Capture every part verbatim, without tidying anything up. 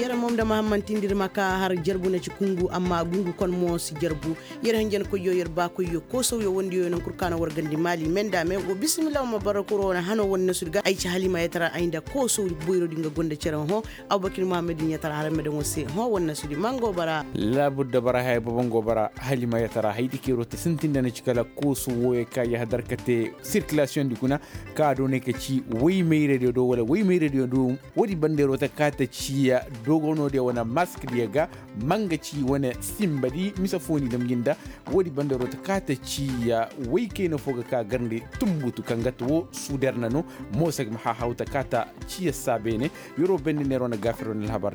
Yer mo nda mahammantindi ir ma ka har jarbu na ci kungu amma gungu kon mo si jarbu. Yer hanjankoyyo yer baakoyyo koosawyo wondiyo nankul ka na war gandi maali me nda me wo bisimilla wo ma bara kuro wane hano wane nasudi ga ay ci halima yatara ay nda koosaw boyrodi nga gonda cere hõ. Abubakir muhammad yatara har me daŋo se hõ wane nasudi mango bara. Laabudda bara haya bobo ngo bara halima yatara haydi keero ta sintinda na ci kala koosaw woyo ka yahadar ka te sirkilasiyoŋ di kuna ka doonay ka ci woy mayradiyo do wala woy mayradiyo do. Woodi banda yeroo ta kaa ta ciya dogonoo diya wane mask diya ga. Ma nga ci wane simba di mise foo ni damji nda. Woodi banda yeroo ta kaa ta ciya woy kayna foo ga ka garndi tumbutu kaŋ ga ta woo suuder na no. Moosa ga ma haahaw ta kaa ta ciya saa beene. Yeroo banda neeroo na gaafir wane alhabar.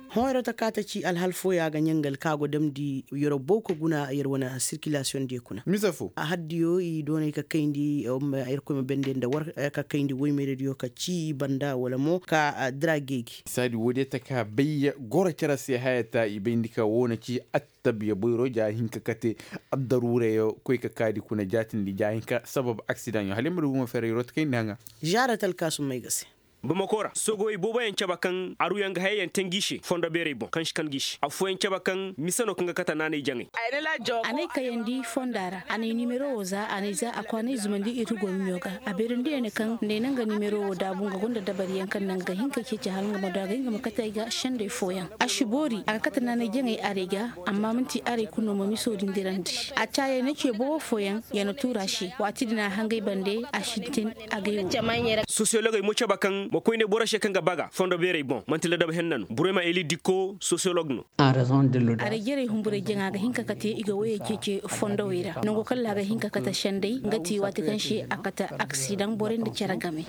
Hõ yeroo ta kaa ta ci alhal fooyaŋ a ga ɲangal ka go damndi yeroo bow ka guna yer wane sirkilasiyoŋ diyo kuna. Mise foo a haddiyo i doonay ka kayndi. Yerkoy ma bende nda war ka kayndi woy mayradiyo ka ci banda wala mo ka dira geegi. Saadi woodiyo ta ka bay goro cere se haya ta i bayndi ka woo na ci attabiya boyro ja hinka kate. Addaruurayo koy ka kaadi kuna jaatindi ja hinka sabab aksidaŋyo hala yer ma du buma ferey yeroo ta kayndi haŋa. Žaarat alkaasum may ga se. Bamako ra soogawey booboyaŋ caba kaŋ aruyaŋ ga hayayaŋ te ngi se fondo beerey boŋ kaŋ si kan ngi se affooyaŋ caba kaŋ mise no kaŋ ga kate naanay jaŋay. A n'ay kayandi fonda ra a n'ay nimero wo za a n'ay za a kwaanay zumandi ir go miɲo ga. A beerandi ya ne kaŋ nda ay na nga nimero wo daabu nga gonda dabariyaŋ kaŋ naŋ ga hin ka ceeci hala nga ma du a ga hin ga ma kate ay ga sendey fooyaŋ. A si boori a ga kate naanay jaŋay arey ga. Amma man'ti arey kulu no ma miso din dirandi. A caayey na ce boobo fooyaŋ ya na tuura se waati din a hangay bande a sintin. Agay wo. Sosiyologey mo caba kaŋ ma koyne boro se kaŋ ga baga fondo beerey boŋ man'ti ladab henna no burema eli dikko sosiyolog no. Aray jarey humburey jaŋa ga hin ka kate i ga woyey ceece fondowey ra nango kalla a ga hin ka kate senday nga ti waati kaŋ se a kate aksidaŋ borey nda cere game.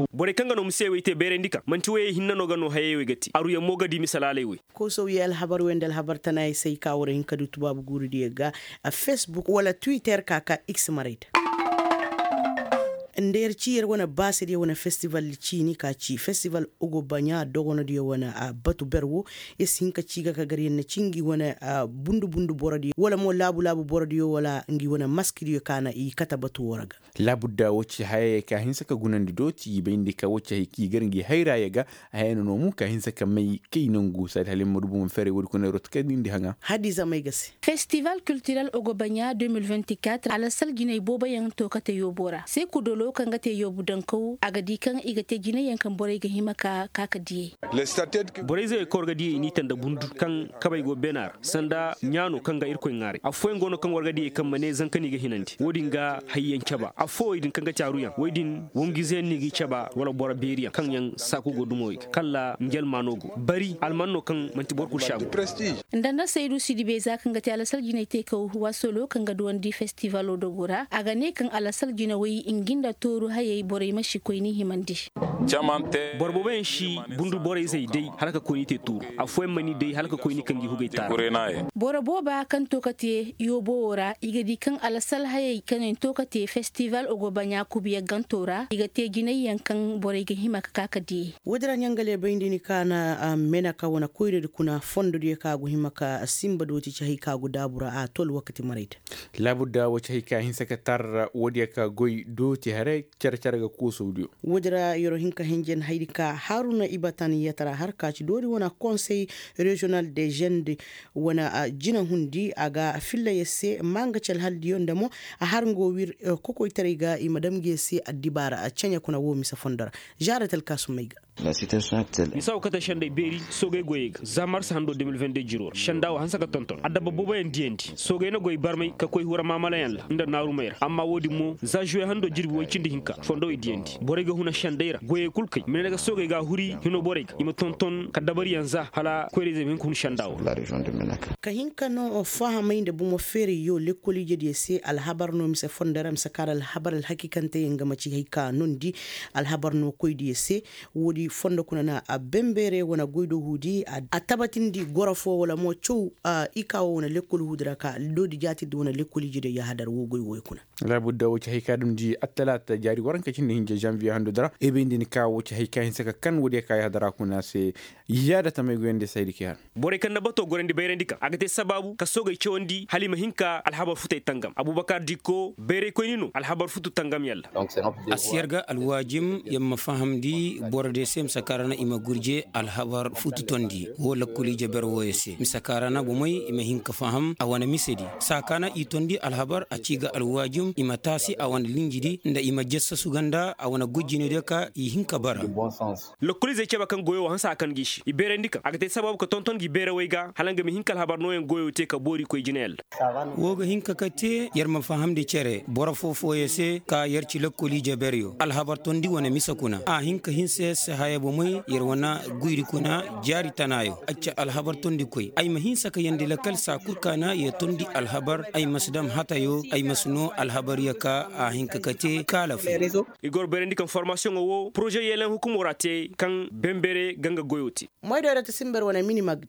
Borey kaŋ ga no musewey te beerandi ka man'ti woyey hinne no ga no hayey wey ga te aruyaŋ mo ga di misalaaley wey. Koosawye alhabar wey nda alhabar tanaayey se ay ka war hin ka du tubaabu guuridiyo ga. A facebook wala twitter ka ka x maray da. Nda yer ci yer wane baasediyo wane festival ciini ka ci festival ogobaɲa dogonodiyo wane batu ber wo. Yer si hin ka ci ga ka gar yer na ci ngi wane bundu bundu borodiyo wala mo laabu laabu borodiyo wala ngi wane maskidiyo ka na i kate batu wo ra ga. Laabudda wo ci hayey ka hinsa ka gunandi dooti i bayndi ka wo ci hay kaŋ i gar ngi hayraaya ga. Haya no no mu ka hinsa ka may kay nangu saadi hala ay ma du buma ferey woodi kuna roto kay nindi haŋa. Hadiza may ga se. Festival kiltirel ogobaɲa deux mille vingt-quatre alasal jinay booboyaŋ to kate yoobo ra seeku dolo kaŋ ga te yoobu dankaw a ga di kaŋ i ga te jinayyaŋ kaŋ borey ga hima ka ka ka diyey. Borey zayey kaŋ war ga diyey i n'i tanda bundu kaŋ kabey go beena ra sanda ɲaano kaŋ ga irkoy ŋaaray affooyaŋ go no kaŋ war ga diyey kaŋ ma ne zanka no i ga hinandi wo-din ga hayyaŋ caba affoo wey din kaŋ ga caaruyaŋ wey din wangu-izeyaŋ no i g'i caba wala boro beeriyaŋ kaŋ yaŋ saaku go dumawey ga kalla njelmaano go bari alman no kaŋ man'ti boro kul si a go. Nda nda saydu sidibey za kaŋ ga te alasal jinay teekaw waasolo kaŋ ga duwandi festivalo dogo ra a ga ne kaŋ alasal jinawey ngi nda tooru hayey borey ma si koyni himandi. Boro booboyaŋ si bundu borey zay day hala ka koyni te tuuru affooyaŋ ma ni day hala ka koyni kaŋ gi hugay taara. Boro booba kaŋ to ka te yoobo wo ra i ga di kaŋ alasal hayey kaŋ yaŋ to ka te festival ogobaɲa kubiya ganto ra i ga te jinayyaŋ kaŋ borey ga hima ka ka ka diyey. Woodi ra ɲangale bayndi ni ka na menaka wane koyradi kuna fondodiyo ka go hima ka sinba dooti ci hay ka go daabu ra a tol wakati maray da. Laabudda wo ci hay ka hinsa ka tar woodiyo ka goy dooti haray care care ga koosawdiyo. Woodi ra yeroo hin ka hinjan haydi ka haruna ibatan yatara har ka ci doori wane konsey reziyonal de žende wane jina hundi a ga filla yer se maa nga ci alhaldiyo nda mo a har nga wo wir kokoytaray ga i ma dam nga yer se addibaara ceɲe kuna wo mise fondo ra. Žaarat alkaasumey ga. Misaw kate sendey beeri soogey goyey ga za mars hando deux mille vingt-deux jiroo ra senda wo hanse ka tonton adabba booboyaŋ diyandi soogey na goy barmay ka koy hura maamalayaŋ ra nda naarumey ra amma wo-din mo za žuwe hando jirbi woy cindi hinka fondowey diyandi borey ga huna sendey ra goyey kul kay ma ne ga soogey ga a huri hino borey ga i ma tonton ka dabariyaŋ za hala koyrayzey ma hin ka hun senda wo. Ka hin ka no fahamay nda bumo feerayyo lekkol ijediyo se alhabar no mise fondo ra mise kaara alhabar alhakiikanteyaŋ ga ma ci hay ka nondi alhabar no koydiyo se. Woodi fondo kuna na a bembeere wane goy do huudi a tabatindi goro fo wala mo caw i ka wo wane lekkol huudi ra ka doodi jaatindi wane lekkol ijediyo yahadar wo goy woy kuna. Laabudda wo ci hay ka damndi attalaata jaari waranka cindi hinja zanviye hando dara ebendi ni ka wo ci hay ka hinsa ka kan woodiyo ka yahadara kuna se. Yaada tamay goyandi saydi ki har. Borey kaŋ na bato gorandi bayrandi kaŋ a ga te sabaabu ka soogey cawandi hala i ma hin ka alhabar futey tangam abubakar dikko bayraykoyni no alhabar futu tangam yalla. A si yar ga alwaajim yer ma fahamndi boro de. Mise kaara na i ma gurje alhabar futu tondi woo lakkol ije ber wooyo se mise kaara na bomey i ma hin ka faham a wane mise di saa ka na i tondi alhabar a ci ga alwaajum i ma taasi a wane linji di nda i ma jassasu ga nda a wane gujjiney diyo ka i hin ka bara. Lakkol izey cebe kaŋ goyo woo hanse a kan gi i se i beerandi kaŋ a ga te sababu ka tonton gi beerawey ga hala nga ma hin ka alhabar nooyaŋ goyo te ka boori koy jinayaŋ ra. Woo ga hin ka kate yer ma fahamndi cere boro foo-fooyo se ka yer ci lakkol ije beryo alhabar tondi wane mise kuna a hin ka hinsa yer se haya bomey yer wane guyri kuna jaari tanaayo a ci alhabar tondikoy ay ma hinsa ka yeendi lakkal saa kul ka na yer tondi alhabar ay ma si dam hatayo ay ma si noo alhabaryo ka a hin ka kate kaala foo. Ir ga war bayrandi kaŋ formaasiyoŋo woo poroze yeeleŋ hukumoo ra te kaŋ benbere ga nga goyo te. Moydoo ra ta simber wane minimag.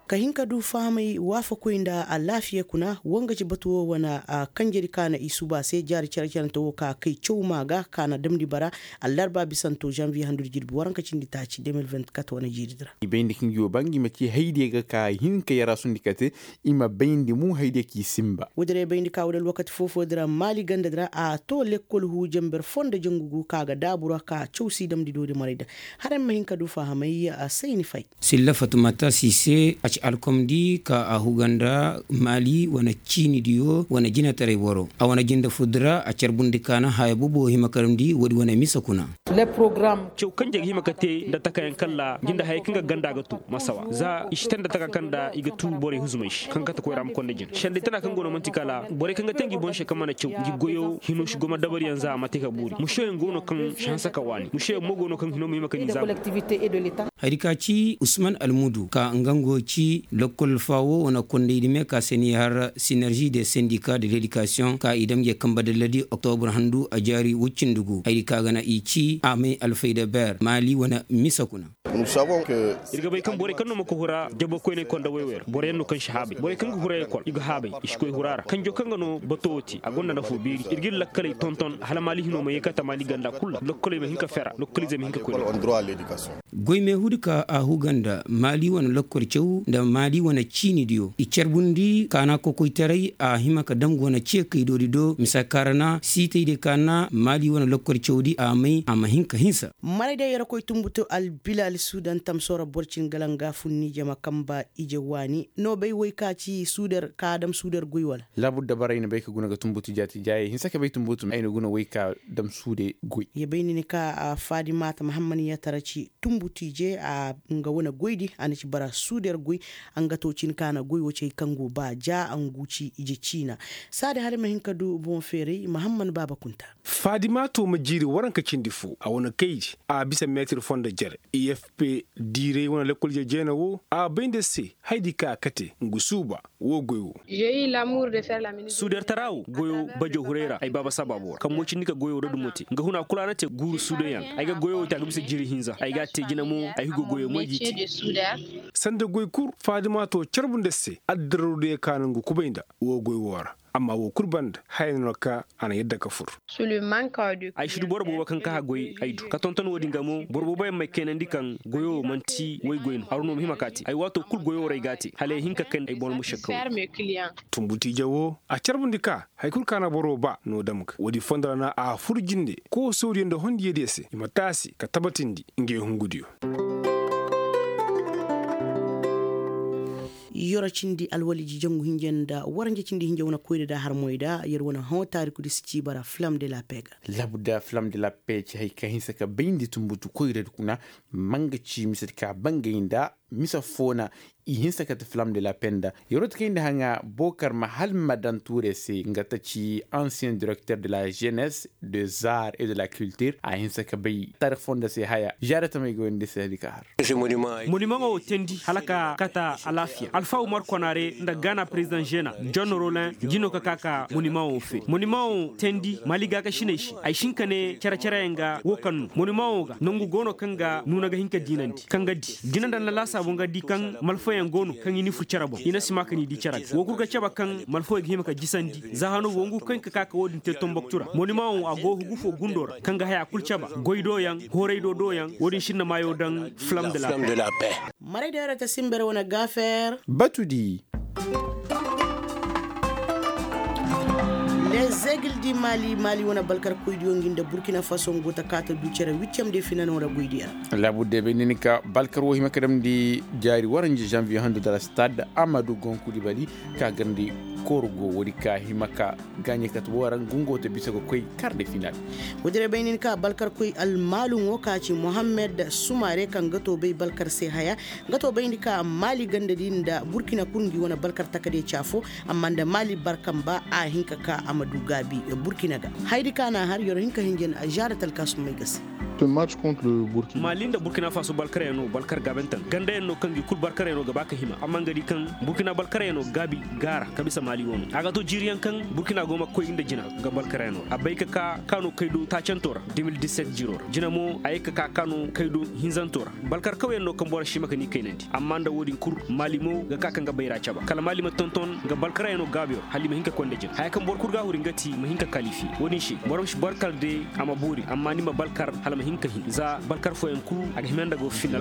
Ka hin ka du fahamay waafakoy nda alaafiya kuna woo nga ci batu woo wane kanjedi ka na i suuba se jaari care-carante woo ka kay caw maa ga ka na damndi bara. Allarba bisanto zanviye handudi jirbi waranka cindi taaci de mil vinti kat wane jiiridi ra. I bayndi kaŋ ngi woo ba ngi ma ci haydiyo ga ka hin ka yaraasundi kate i ma bayndi mo haydiyo k'i sinba. Woodi ra i bayndi ka woodi alwakati foo-foodi ra maali gandadi ra a too lekkol huu janber foo nda jangu gu ka ga daabu ra ka caw si damndi doodi marayda. Hala ay ma hin ka du fahamay a sayni fay. Silla fatumata si se a ci alkomdi ka a huga nda maali wane ciinidiyo wane jinetaray boro a wane jinde furdi ra a carbundi ka na haya boobo hima karamndi woodi wane mise kuna. Caw kaŋ jay ga hima ka te nda takayaŋ kalla jinde hayey kaŋ ga ganda ga tu masawa za i si te nda taka kaŋ nda i ga tu borey huzumey se kaŋ kate koyra ma konda jine sendey tana kaŋ go no man'ti kala borey kaŋ ga te ngi boŋ se kaŋ mana caw ngi goyo hino si goma dabariyaŋ za a ma te ka boori musoyaŋ go no kaŋ si hanse ka waani musoyaŋ mo go no kaŋ hino ma hima ka ni za. Hari ka ci usman almudu ka nga ngo ci lokkol faawo wane kondaydi me ka se ni har sinerzi de sendika de ledikasiyoŋ ka i dam nge kamba dalladi oktobur handu a jaari wuccindi gu hari ka ga na i ci a may alfayda ber maali wane mise kuna. Ir ga bay kaŋ borey kaŋ no ma ka hura jabokoyney konda woy-woy ra boroyaŋ no kaŋ si haabay borey kaŋ ga hura ekol i ga haabay i si koy hura ra kanjo kaŋ ga no bato wo te a gonda nafo beeri ir ga ir lakkaley tonton hala maali hino ma ye ka tamaali ganda kul ra lokkoley ma hin ka fera lokkolizey ma hin ka koy. Goy meehudi ka a huga nda maali wane lokkol caw nda maali wane ciinidiyo i carbundi kaana kokoytaray a hima ka dam go na ceekaydoodi do mise kaarana siitaydiyo kaana maali wane lokkol cawdi a may a ma hin ka hinsa. Maraydiyo yer koy tumbutu albilal suudan tamsoora boro cin galanga funni jama kamba ije waani no bay woy ka ci suudar ka dam suudar goy wala? Laabudda bara ay na bay ka guna ga tumbutu jaati jaayey hinsa ka bay tumbutu ay na guna woy ka dam suude goy. Ya bay ni ni ka faadimata mahammad yatara ci tumbutu ije a nga wane goydi a na ci bara suudar goy. A nga to cin ka na goy wo cay kaŋ go ba ja a ngu ci ije ciina. Saadi hala ay ma hin ka du boŋ feeray mahammad baaba kunta. Faadimato ma jiiri waranka cindi fo a wane kaydi a bisa meetir fo nda jere efp diiray wane lekkol jejeena wo a bay nda se haydi ka a kate ngu suuba wo goy wo. Suudertara wo goyo bajo huray ra ay baaba sabaabo ra kaŋ mo cindi ka goyo ra dumo te nga huna kul a na te guuru suudayaŋ. Ay ga goyo wo te a ga bisa jiiri hinza ay ga a te jina mo ay ga goyo moy g'i te. Sanda goy kul faadimato carbu nda se addararodiyo ka no ngu kubay nda wo goy wo ra. Amma wo kul banda haya no na ka a na yadda ka fur. Ay si du boro boobo kaŋ ka haggoy ay du ka tonton wo-din ga mo boro booboyaŋ m'ay kaynandi kaŋ goyo wo man'ti woy goy no haru no ma hima ka te ay waato kul goyo wo ra ay g'a te hala ay hin ka kay ay boŋ almušakka wo. Tumbu tiije wo a carbundi ka hari kul ka na boro ba no dam ga wo-din fondo ra na a fur jinde koosodiyo nda hondiyadiyo se i ma taasi ka tabatindi ngey hungudiyo. Yoro cindi alwaliji jangu hinja nda waranja cindi hinja wane koyra da harmoy da yer wane hõ taarikudi si ciiba ra flam de la pega. Labu da flam de la pega ci hari ka hinsa ka bayndi tumbutu koyradi kuna. Manga ci misedi ka bangay nda mise foo na i hinsa kate flam de la pega nda. Yeroo ti kayndi haŋa bookar ma hal ma daŋ tuurey se nga ta ci ancien directeur de la jeunesse, de zar et de la culture a hinsa ka bay taarix foo nda se haya. Zaare tamey ga woyandi se hari ka har. Monimaŋo wo teendi hala ka kata alaafiya alfaawu markonaare nda gaana perezidaŋ žena, john rolin, jino ka ka ka monimaŋo wo fee monimaŋo wo teendi maali gaakasiney se. Ay si hin ka ne cere-cereyaŋ ga wo kaŋ no monimaŋo ga nangu go no kaŋ ga nuuna ga hin ka diinandi kaŋ ga di jina nda nda laasaabu nga di kaŋ malfayaŋ go no kaŋ i ni fur cere boŋ i na si maa ka ni di cere ga wo kul ga cabe kaŋ malfawey ga hima ka jisandi. Za hano wongu kaŋ ka ka ka wo-din te tomboktu ra monimaŋo a go hugu fo gundo ra kaŋ ga haya kul cabe goy do yaŋ horay do do yaŋ wo-din sinda maayo daŋ flam de la pee. Maray da yara ta simber wane gafer. Batudi. Egil di maali maali wane balkarkoydiyo ngi nda burkina faso ngu ta kaata du cere wittiyam de finano ra goydiyo ra. Laabu de bay ni ni ka balkar wo hima ka damndi jaari waranja janviye handu dala stade amadu gonkudi bali ka garndi korgo woodi ka hima ka gaaɲe kate wo ra ngu ngo ta bisa ga koy kar de final. Woodi ra bay ni ni ka balkarkoy almaaluŋo ka ci mohammed sumare kaŋ ga to bay balkar se haya nga to bayndi ka maali gandadi nda burkina kul ngi wane balkar takade ci afo. Amma nda maali barkamba a hin ka ka a ma du gaabi burkina ga. Hayadi ka na a har yer hin ka hinja na a zaara talkaasumey ga se. Maali nda burkina faso balkaryaŋ no balkar gaabantaŋ gandayaŋ no kaŋ gi kul balkaryaŋ no ga ba ka hima amma nga di kaŋ burkina balkaryaŋ no gaabi gaara ka bisa maali wano a ga to jiiriyaŋ kaŋ burkina go ma koy nda jina ga balkaryaŋ no a bay ka ka ka no kay do taacanto ra. Jina mo a ye ka ka ka no kay do hinzanto ra. Balkar kawyaŋ no kaŋ boro si hima ka ni kaynandi amma nda wo-din kul maali mo ga ka kaŋ ga bayra caba kala maali ma tonton nga balkaryaŋo gaabiyo hala i ma hin ka koy nda jina haya kaŋ boro kul ga a huri nga ti ma hin ka kalifi wo-din se boro ma si balkar de a ma boori amma ni ma balkar hala ma hin ka hin za balkar fooyaŋ kul a ga hima nda go final.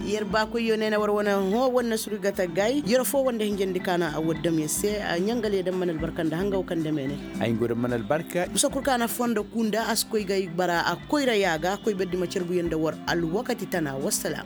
Yer baakoyyo ne na war wane hõ war na suru ga tagay yer foo wanda hinjandi ka na a war dam yer se. Ɲangale daŋ mana albarka nda hanga wo kaŋ dame ne. Ay ngo daŋ mana albarka. Bisa kul ka na fondo kunda a si koy ga bara a koyra ya ga koy berdi ma carbuyaŋ nda war alwakati tana wassalam.